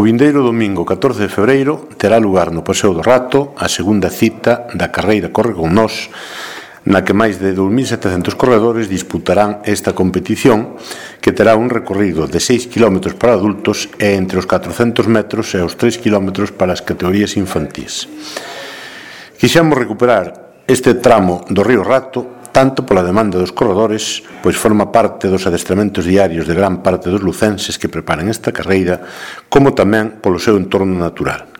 O vindeiro domingo 14 de febreiro terá lugar no Paseo do Rato a segunda cita da carreira Corre con Nós, na que máis de 2.700 corredores disputarán esta competición, que terá un recorrido de 6 km para adultos e entre os 400 metros e os 3 km para as categorías infantís. Quixemos recuperar este tramo do río Rato tanto pola demanda dos corredores, pois forma parte dos adestramentos diarios de gran parte dos lucenses que preparan esta carreira, como tamén polo seu entorno natural.